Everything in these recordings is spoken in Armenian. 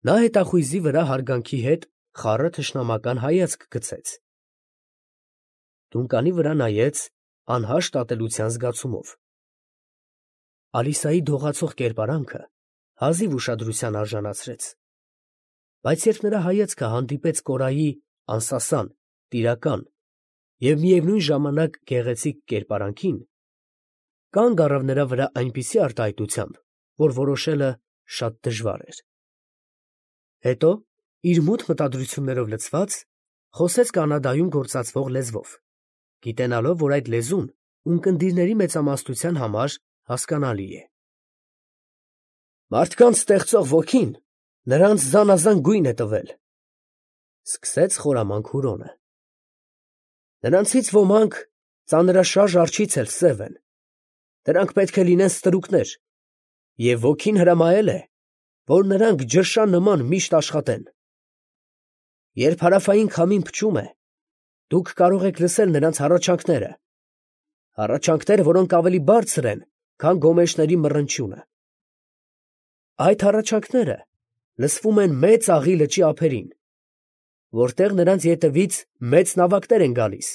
Նա հետախույզի վրա հարգանքի հետ խառը թշնամական հայացք գցեց։ Տունականի վրա նայեց անհաշտ ատելության զգացումով։ Ալիսայի դողացող կերպարանքը հազիվ ուշադրության արժանացրեց, բայց երբ նրա հայացքը հանդիպեց Կորայի անսասան, տիրական և միևնույն ժամանակ գեղեցիկ կերպարանքին, կանգ առավ նրա վրա այնպիսի արտահայտությամբ, որ որոշելը շատ դժվար էր։ Հետո, իր մութ մտադրություններով լցված, խոսեց կանադայում գործածվող լեզվով, գիտենալով, որ այդ լեզուն ունկնդիրների մեծամասնության համար հասկանալի է։ Մարդկանց ստեղծող ոգին նրանց զանազան գույն է տվել, սկսեց խորամանկ Հուրոնը։ Նրանցից ոմանք ծանրաշարժ արջից էլ սև են, դրանք պետք է լինեն ստրուկներ, և ոգին հրամայել է, որ նրանք ջրշա նման միշտ աշխատեն։ Երբ հարավային քամին փչում է, դուք կարող եք լսել նրանց հառաչանքները, որոնք ավելի բարձր են, քան գոմեշների մռնչյունը։ Այդ հառաչանքները լսվում են Մեծ Աղի լճի ափերին, որտեղ նրանց ետևից մեծ նավակներ են գալիս։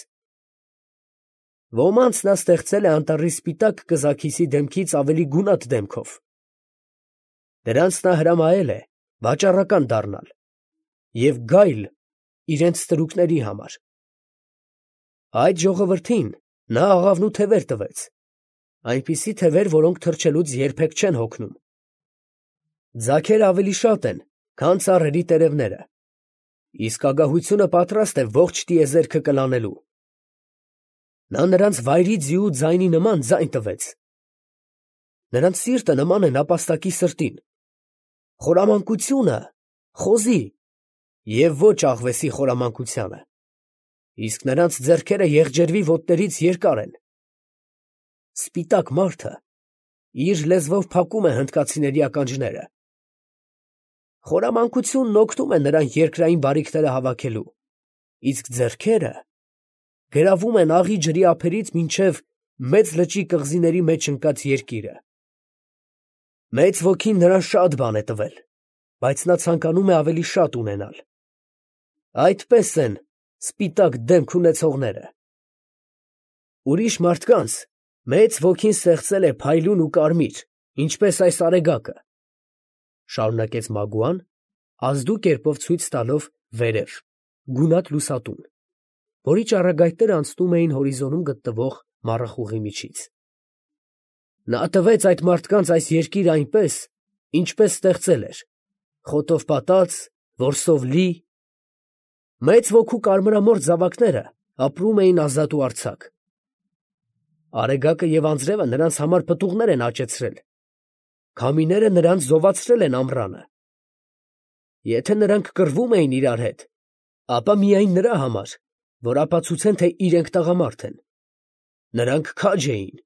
Ոմանց նա ստեղծել է անտառի սպիտակ կզաքիսի դեմքից ավելի գունատ դեմքով։ Դրանց նա հրամայել է վաճառական դառնալ և գայլ իրենց ստրուկների համար։ Այդ ժողովրդին նա աղավնու թևեր տվեց, այնպիսի թևեր, որոնք թռչելուց երբեք չեն հոգնում։ Ձագերը ավելի շատ են, քան ծառերի տերևները, իսկ ագահությունը պատրաստ է ողջ տիեզերքը կլանելու։ Նա նրանց վայրի ձիու ձայնի նման ձայն տվեց։ Նրանց սիրտը նման է նապաստակի սրտին, խորամանկությունը խոզի և ոչ աղվեսի խորամանկությանը, իսկ նրանց ձեռքերը եղջերվի ոտներից երկար են։ Սպիտակ մարդը իր լեզվով փակում է հնդկացիների ականջները։ Խորամանկությունն օգնում է նրան երկրային բարիքները հավաքելու, իսկ ձեռքերը գրավում են աղի ջրի ափերից մինչև մեծ լճի կղզիների մեջ ընկած երկիրը։ Մեծ ոգին նրան շատ բան է տվել, բայց նա ցանկանում է ավելի շատ ունենալ։ Այդպես են սպիտակ դեմք ունեցողները։ Ուրիշ մարդկանց մեծ ոգին ստեղծել է փայլուն ու կարմիր, ինչպես այս արեգակը, շարունակեց Մագուան, ազդու կերպով ցույց տալով վերև, գունատ լուսատուն, որի ճառագայթները անցնում էին հորիզոնում գտնվող մառախուղի միջից։ Նա տվեց այդ մարդկանց այս երկիրը այնպես, ինչպես ստեղծել էր, խոտով պատած, որսով լի։ Մեծ ոգու կարմրամորթ զավակները ապրում էին ազատ ու արձակ։ Արեգակը և անձրևը նրանց համար պտուղներ են աճեցրել, քամիները նրանց զովացրել են ամռանը։ Եթե նրանք կռվում էին իրար հետ, ապա միայն նրա համար, որ ապացուցեն, թե իրենք տղամարդ են։ Նրանք քաջ էին,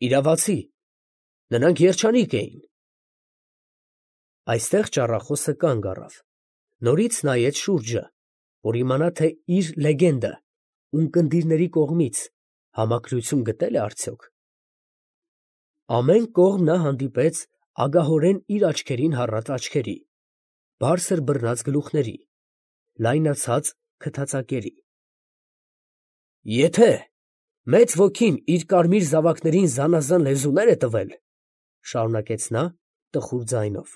իրավացի, նրանք երջանիկ էին։ Այստեղ ճառախոսը կանգ առավ, նորից նայեց շուրջը, որ իմանա, թե իր լեգենդը ունկնդիրների կողմից համակրություն գտե՞լ է արդյոք։ Ամեն կողմ նա հանդիպեց ագահորեն իր աչքերին հառած աչքերի, բարձր բռնած գլուխների, լայնացած քթածակերի։ Եթե մեծ ոգին իր կարմիր զավակներին զանազան լեզուներ է տվել, շարունակեց նա տխուր ձայնով,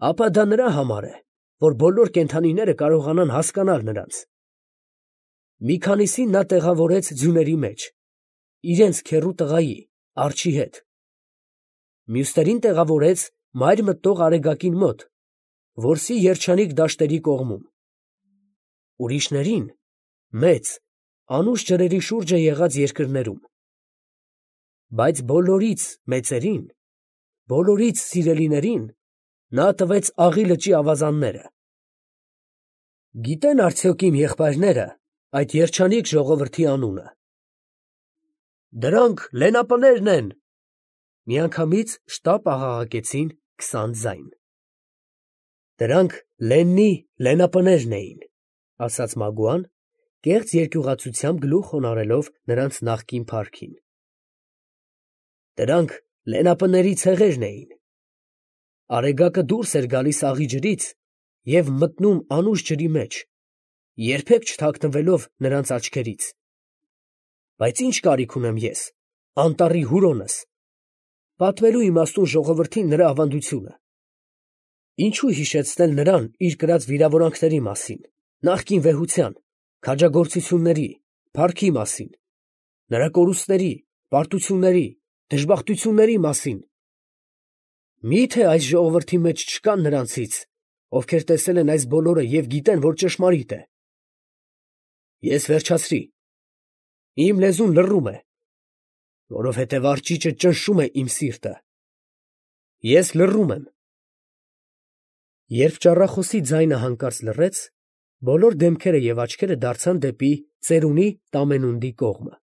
ապա դա նրա համար է, որ բոլոր կենդանիները կարողանան հասկանալ նրանց։ Մի քանիսին նա տեղավորեց ձյուների մեջ, իրենց քեռու տղայի, արջի հետ։ Մյուսներին տեղավորեց մայր մտնող արեգակին մոտ, որսի երջանիկ դաշտերի կողմում։ Ուրիշներին մեծ, անուշ ջրերի շուրջը եղած երկրներում։ Բայց բոլորից մեծերին, բոլորից սիրելիներին նա տվեց աղի լճի ավազանները։ Գիտե՞ն արդյոք իմ եղբայրները այդ երջանիկ ժողովրդի անունը։ Դրանք լենապներն են, միանգամից շտապ աղաղակեցին 20 ձայն։ Դրանք Լեննի լենապներն էին, ասաց Մագուան, կեղծ երկյուղացությամբ գլուխ խոնարհելով նրանց նախկին փառքին։ Դրանք լենապների ցեղերն էին։ Արեգակը դուրս էր գալիս աղի ջրից և մտնում անուշ ջրի մեջ, երբեք չթաքնվելով նրանց աչքերից։ Բայց ի՞նչ կարիք ունեմ ես, անտառի Հուրոնս, պատմելու իմաստուն ժողովրդին նրա ավանդությունը։ Ինչու հիշեցնել նրան իր կրած վիրավորանքների մասին, նախկին վեհության, քաջագործությունների, փառքի մասին, նրա կորուստների, պարտությունների, դժբախտությունների մասին։ Մի՞թե այս ժողովրդի մեջ չկան նրանցից, ովքեր տեսել են այս բոլորը և գիտեն, որ ճշմարիտ է։ Ես վերջացրի։ Իմ լեզուն լռում է, որովհետև արջիճը ճնշում է իմ սիրտը։ Ես լռում եմ։ Երբ ճառախոսի ձայնը հանկարծ լռեց, բոլոր դեմքերը և աչքերը դարձան դեպի ծերունի Տամենունդի կողմը։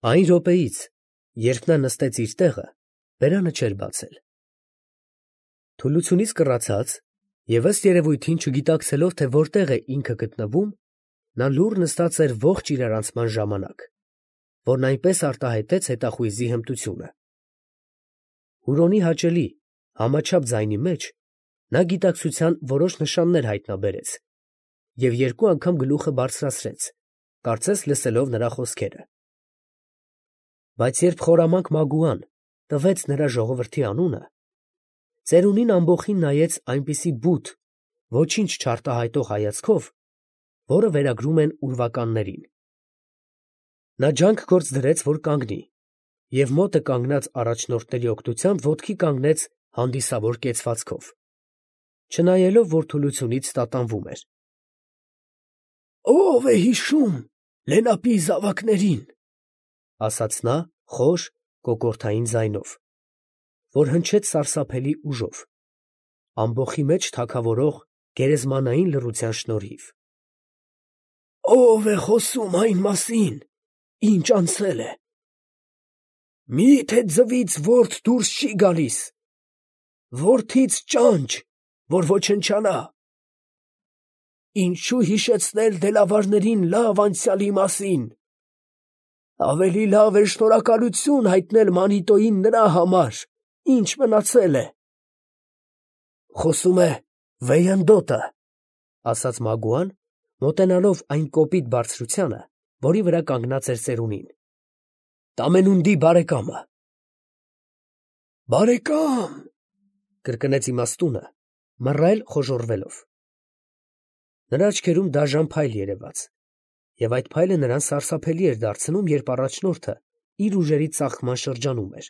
Այն րոպեից, երբ նա նստեց իր տեղը, բերանը չէր բացել։ Թուլությունից կռացած և ըստ երևույթին չգիտակցելով, թե որտեղ է ինքը գտնվում, նա լուռ նստած էր ողջ իրարանցման ժամանակ, որն այնպես արտահայտեց հետախույզի հմտությունը։ Հուրոնի հաճելի, համաչափ ձայնի մեջ նա գիտակցության որոշ նշաններ հայտնաբերեց և երկու անգամ գլուխը բարձրացրեց, կարծես լսելով նրա խոսքերը։ Բայց երբ խորամանկ Մագուան տվեց նրա ժողովրդի անունը, ծերունին ամբոխին նայեց այնպիսի բութ, ոչինչ չարտահայտող հայացքով, որը վերագրում են ուրվականներին։ Նա ջանք գործ դրեց, որ կանգնի, և մոտը կանգնած առաջնորդների օգնությամբ ոտքի կանգնեց հանդիսավոր կեցվածքով, չնայելով, որ թուլությունից տատանվում էր։ «Ո՞վ է հիշում Լենապի զավակներին», ասաց նա խոր, կոկորդային ձայնով, որ հնչեց սարսափելի ուժով, ամբոխի մեջ թագավորող գերեզմանային լռության շնորհիվ։ «Ո՞վ է խոսում այն մասին, ինչ անցել է։ Մի՞թե ձվից որդ դուրս չի գալիս, որդից ճանճ, որ ոչնչանա։ Ինչու հիշեցնել դելավարներին լավ անցյալի մասին։ Ավելի լավ է շնորհակալություն հայտնել Մանիտոյին նրա համար, ինչ մնացել է»։ «Խոսում է Վեյանդոտը», ասաց Մագուան, մոտենալով այն կոպիտ բարձրությանը, որի վրա կանգնած էր ծերունին։ «Տամենունդի բարեկամը»։ «Բարեկամ», կրկնեց իմաստունը, մռայլ խոժոռվելով։ Նրա աչքերում դաժան փայլ երևաց, և այդ փայլը նրան սարսափելի էր դարձնում, երբ առաջնորդը իր ուժերի ծաղկման շրջանում էր։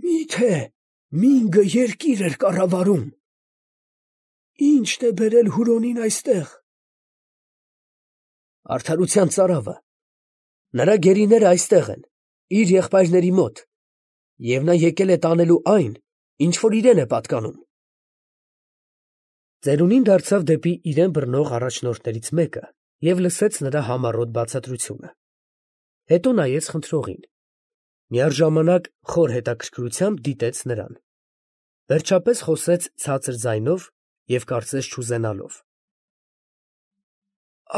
«Մի՞թե Մինգը երկիր էր կառավարում։ Ի՞նչն է բերել Հուրոնին այստեղ»։ «Արդարության ծարավը։ Նրա գերիները այստեղ են, իր եղբայրների մոտ, և նա եկել է տանելու այն, ինչ որ իրեն է պատկանում»։ Ծերունին դարձավ դեպի իրեն բռնող առաջնորդներից մեկը և լսեց նրա համառոտ բացատրությունը։ Հետո նայեց խնդրողին, միաժամանակ խոր հետաքրքրությամբ դիտեց նրան, վերջապես խոսեց ցածր ձայնով և կարծես չուզենալով.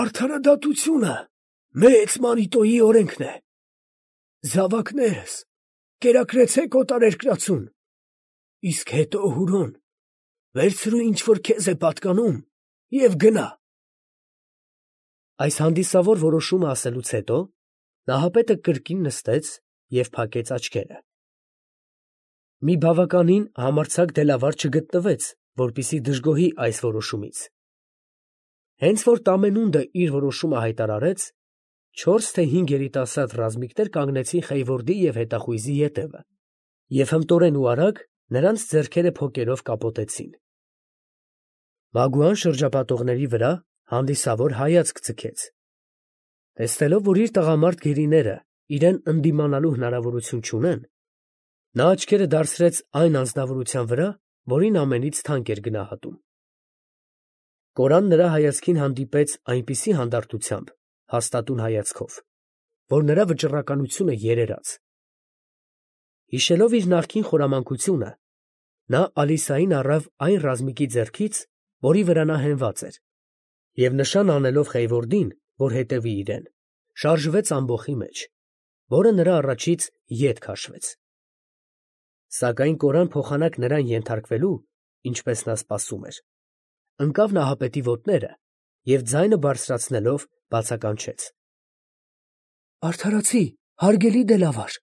«Արդարադատությունը մեծ Մանիտոյի օրենքն է։ Զավակներս, կերակրեցեք օտարերկրացուն, իսկ հետո Հուրոն, վերցրու ինչ որ քեզ է պատկանում և գնա»։ Այս հանդիսավոր որոշումը ասելուց հետո նահապետը կրկին նստեց և փակեց աչքերը։ Մի բավականին համարձակ դելավար չգտնվեց, որպեսզի դժգոհի այս որոշումից։ Հենց որ Տամենունդը իր որոշումը հայտարարեց, 4 թե 5 երիտասարդ ռազմիկներ կանգնեցին Խեյվորդի և հետախույզի ետևը և հմտորեն ու արագ նրանց ձեռքերը փոկերով կապոտեցին։ Մագուան շրջապատողների վրա հանդիսավոր հայացք ձգեց։ Տեսնելով, որ իր տղամարդ գերիները իրեն ընդդիմանալու հնարավորություն չունեն, նա աչքերը դարձրեց այն անձնավորության վրա, որին ամենից թանկ էր գնահատում։ Կորան նրա հայացքին հանդիպեց այնպիսի հանդարտությամբ, հաստատուն հայացքով, որ նրա վճռականությունը երերաց։ Հիշելով իր նախկին խորամանկությունը, նա Ալիսային առավ այն ռազմիկի ձեռքից, որի վրա նա հենված էր, և նշան անելով Խեյվորդին, որ հետևի իրեն, շարժվեց ամբոխի մեջ, որը նրա առաջից ետ քաշվեց։ Սակայն կորան փոխանակ նրան ենթարկվելու, ինչպես նա սպասում էր, ընկավ Նահապետի ոտները և ձայնը բարձրացնելով բացականչեց. «Արդարացի, հարգելի դելավար,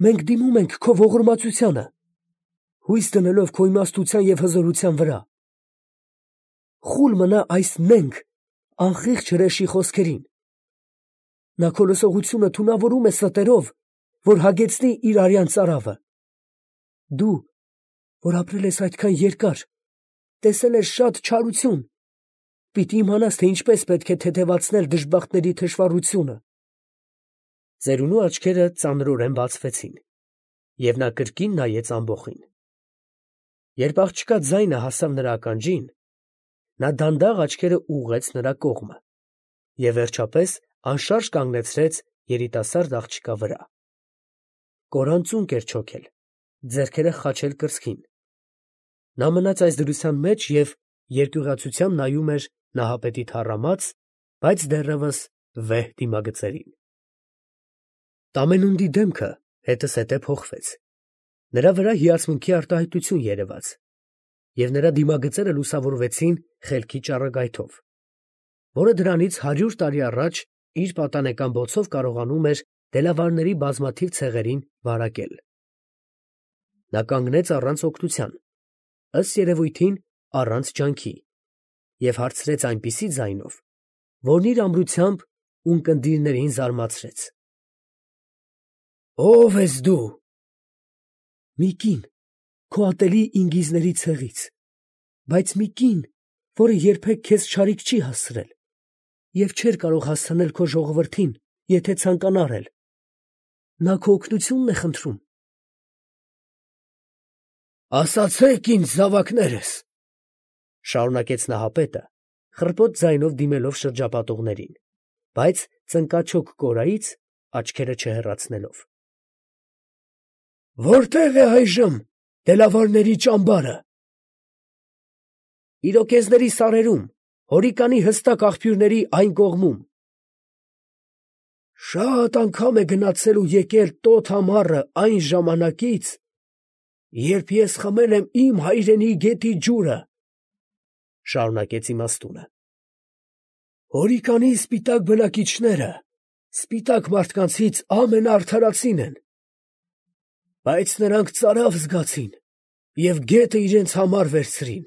մենք դիմում ենք քո ողորմածությանը, հույս դնելով քո իմաստության և հզորության վրա։ Խուլ մնա այս նենգ, անխիղճ հրեշի խոսքերին. նա քո լսողությունը թունավորում է ստերով, որ հագեցնի իր արյան ծարավը։ Դու, որ ապրել ես այդքան երկար, տեսել ես շատ չարություն, պիտի իմանաս, թե ինչպես պետք է թեթևացնել դժբախտների թշվառությունը»։ Ծերունու աչքերը ծանրորեն բացվեցին, և նա կրկին նայեց ամբոխին։ Երբ աղջկա ձայնը հասավ նրա ականջին, նա դանդաղ աչքերը ուղղեց նրա կողմը և վերջապես անշարժ կանգնեցրեց երիտասարդ աղջկա վրա։ Կորան ծունկ էր չոքել, ձեռքերը խաչել կրծքին։ Նա մնաց այս դրության մեջ և երկյուղացությամբ նայում էր Նահապետի թառամած, բայց դեռևս վեհ դիմագծերին։ Տամենունդի դեմքը հետզհետե փոխվեց, նրա վրա հիացմունքի արտահայտություն երևաց, և նրա դիմագծերը լուսավորվեցին խելքի ճառագայթով, որը դրանից 100 տարի առաջ իր պատանեկան բոցով կարողանում էր դելավարների բազմաթիվ ցեղերին վարակել։ Նա կանգնեց առանց օգնության, ըստ երևույթին առանց ջանքի, և հարցրեց այնպիսի ձայնով, որն իր ամրությամբ ունկնդիրներին զարմացրեց. «Ո՞վ ես դու»։ «Մի կին, քո ատելի ինգիզների ցեղից, բայց մի կին, որը երբեք քեզ չարիք չի հասցրել և չէր կարող հասցնել քո ժողովրդին, եթե ցանկանար էլ. նա քո օգնությունն է խնդրում»։ «Ասացե՛ք ինձ, զավակներս», ֊ շարունակեց Նահապետը, խռպոտ ձայնով դիմելով շրջապատողներին, բայց ծնկաչոք կորայից աչքերը չհեռացնելով. «Որտե՞ղ է այժմ դելավարների ճամբարը»։ «Իրոկեզների սարերում, Հորիկանի հստակ աղբյուրների այն կողմում»։ «Շատ անգամ է գնացել ու եկել տոտ ամառը այն ժամանակից, երբ ես խմել եմ իմ հայրենի գետի ջուրը», ֊ շարունակեց իմաստունը։ «Հորիկանի սպիտակ բնակիչները սպիտակ մարդկանցից ամենաարդարածին են, բայց նրանք ծարավ զգացին և գետը իրենց համար վերցրին։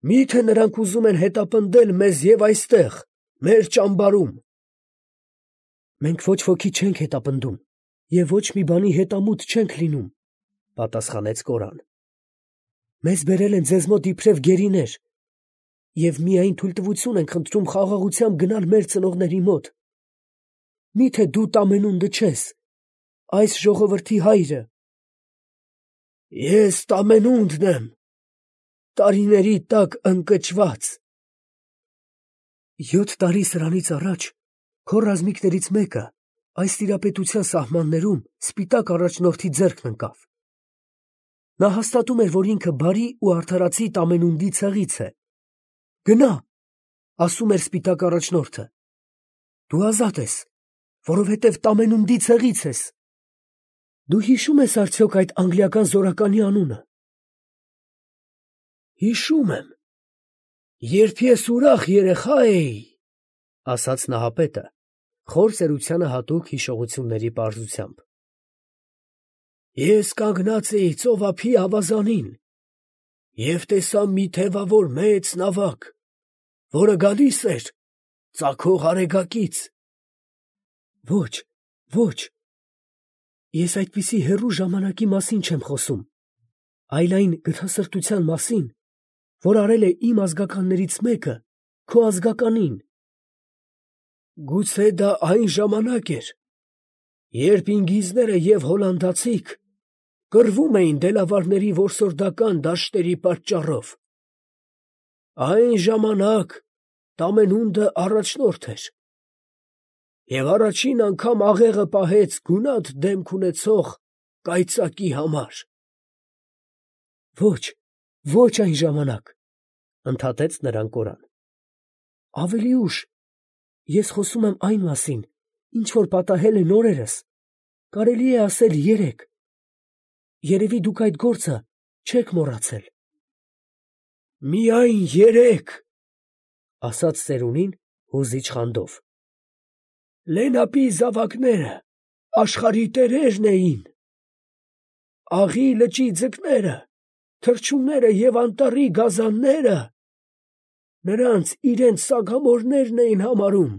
Մի՞թե նրանք ուզում են հետապնդել մեզ և այստեղ, մեր ճամբարում»։ «Մենք ոչ ոքի չենք հետապնդում և ոչ մի բանի հետամուտ չենք լինում», ֊ պատասխանեց կորան։ «Մեզ բերել են ձեզ մոտ իբրև գերիներ և միայն թույլտվություն ենք խնդրում խաղաղությամբ գնալ մեր ծնողների մոտ։ Մի՞թե դու Տամենունդը չես, այս ժողովրդի հայրը»։ «Ես Տամենունդն եմ, տարիների տակ ընկճված»։ 7 տարի սրանից առաջ քո ռազմիկներից մեկը այս տիրապետության սահմաններում սպիտակ առաջնորդի ձեռքն ընկավ։ Նա հաստատում էր, որ ինքը բարի ու արդարացի Տամենունդի ցեղից է։ «Գնա՛, ֊ ասում էր սպիտակ առաջնորդը, ֊ դու ազատ ես, որովհետև Տամենունդի ցեղից ես։ Դու հիշո՞ւմ ես արդյոք այդ անգլիական զորականի անունը»։ «Հիշում եմ, երբ ես ուրախ երեխա էի», ֊ ասաց Նահապետը խոր ծերությանը հատուկ հիշողությունների պարզությամբ։ «Ես կանգնած էի ծովափի ավազանին և տեսա մի թևավոր մեծ նավակ, որը գալիս էր ծագող արեգակից»։ «Ոչ, ոչ, ես այդպիսի հեռու ժամանակի մասին չեմ խոսում, այլ այն գթասրտության մասին, որ արել է իմ ազգականներից մեկը քո ազգականին»։ «Գուցե դա այն ժամանակ էր, երբ ինգիզները և հոլանդացիք կռվում էին դելավարների որսորդական դաշտերի պատճառով։ Այն ժամանակ Տամենունդը առաջնորդ էր և առաջին անգամ աղեղը պահեց գունատ դեմք ունեցող կայծակի համար»։ «Ոչ, ոչ այն ժամանակ», ֊ ընդհատեց նրան կորան։ «Ավելի ուշ, ես խոսում եմ այն մասին, ինչ որ պատահել է նորերս, կարելի է ասել երեկ։ երևի դուք այդ գործը չեք մոռացել։ Միայն 3, ասաց ծերունին հուզիչ խանդով։ Լենապի զավակները աշխարհի տերերն էին։ Աղի լճի ձկները, թռչունները և անտառի գազանները նրանց իրենց սագամորներն էին համարում։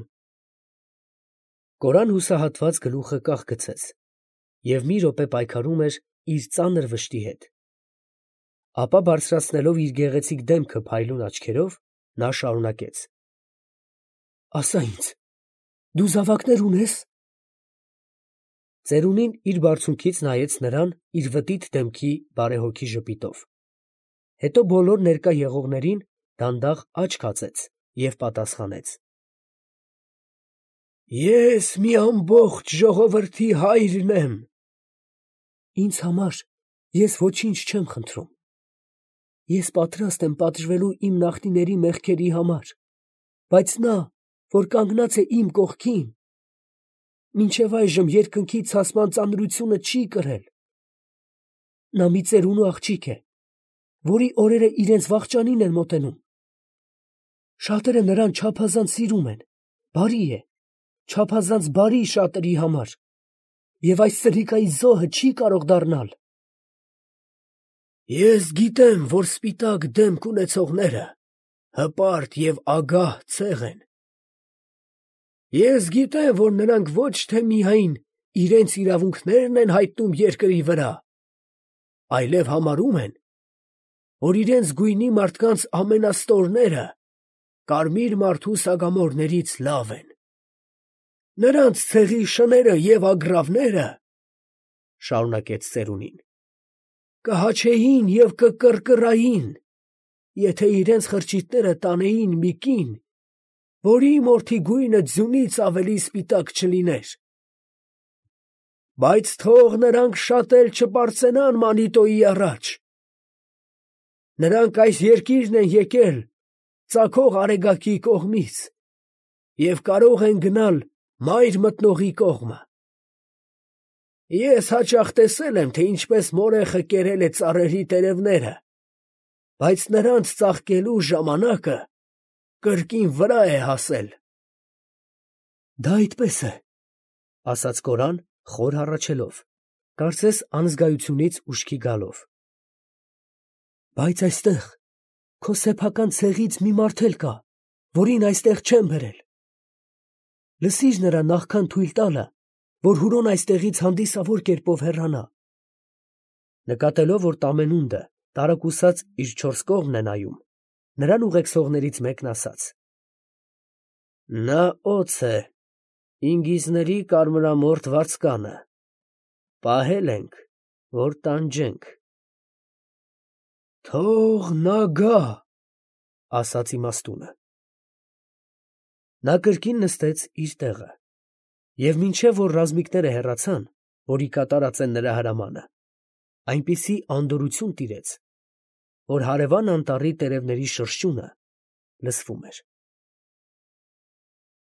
Կորան հուսահատված գլուխը կախ գցեց և մի րոպե պայքարում էր իր ծանր վշտի հետ։ Ապա բարձրացնելով իր գեղեցիկ դեմքը փայլուն աչքերով, նա շարունակեց. Ասա ինձ, դու զավակներ ունե՞ս։ Ծերունին իր բարձունքից նայեց նրան իր վտիտ դեմքի բարեհոգի ժպիտով, հետո բոլոր ներկա եղողներին դանդաղ աչք հացեց և պատասխանեց. Ես մի ամբողջ ժողովրդի հայրն եմ։ Ինձ համար ես ոչինչ չեմ խնդրում։ Ես պատրաստ եմ պատժվելու իմ նախնիների մեղքերի համար, բայց նա, որ կանգնած է իմ կողքին, մինչև այժմ երկնքի ցասման ծանրությունը չի կրել։ Նա մի ծերունու աղջիկ է, որի օրերը իրենց վախճանին են մոտենում։ Շատերը նրան չափազանց սիրում են, բարի է, չափազանց բարի շատերի համար, և այս սրիկայի զոհը չի կարող դառնալ։ Ես գիտեմ, որ սպիտակ դեմք ունեցողները հպարտ և ագահ ցեղ են։ Ես գիտեմ, որ նրանք ոչ թե միայն իրենց իրավունքներն են հայտնում երկրի վրա, այլև համարում են, որ իրենց գույնի մարդկանց ամենաստորները կարմիր մարդու սագամորներից լավ են։ Նրանց ցեղի շները և ագռավները, շարունակեց ծերունին, կհաչեին և կկռկռային, եթե իրենց խրճիթները տանեին մի կին, որի մորթի գույնը ձյունից ավելի սպիտակ չլիներ։ Բայց թող նրանք շատ էլ չպարծենան Մանիտոյի առաջ։ Նրանք այս երկիրն են եկել ծագող Արեգակի կողմից և կարող են գնալ մայր մտնողի կողմը։ Ես հաճախ տեսել եմ, թե ինչպես մորեխը կերել է ծառերի տերևները, բայց նրանց ծաղկելու ժամանակը կրկին վրա է հասել։ Դա այդպես է, ասաց Կորան խոր հառաչելով, կարծես անզգայությունից ուշքի գալով։ Բայց այստեղ քո սեփական ցեղից մի մարդ էլ կա, որին այստեղ չեն բերել։ Լսիր նրա նախքան թույլ տալը, որ Հուրոն այստեղից հանդիսավոր կերպով հեռանա։ Նկատելով, որ Տամենունդը տարակուսած իր չորս կողմն է նայում, նրան ուղեկցողներից մեկն ասաց. Նա օձ է, ինգիզների կարմրամորթ վարձկանը, պահել ենք, որ տանջենք։ Թող նա գա, ասաց իմաստունը։ Նա կրկին նստեց իր տեղը, և մինչև որ ռազմիկները հեռացան, որի կատարած են նրա հրամանը, այնպիսի անդորրություն տիրեց, որ հարևան անտառի տերևների շրշյունը լսվում էր։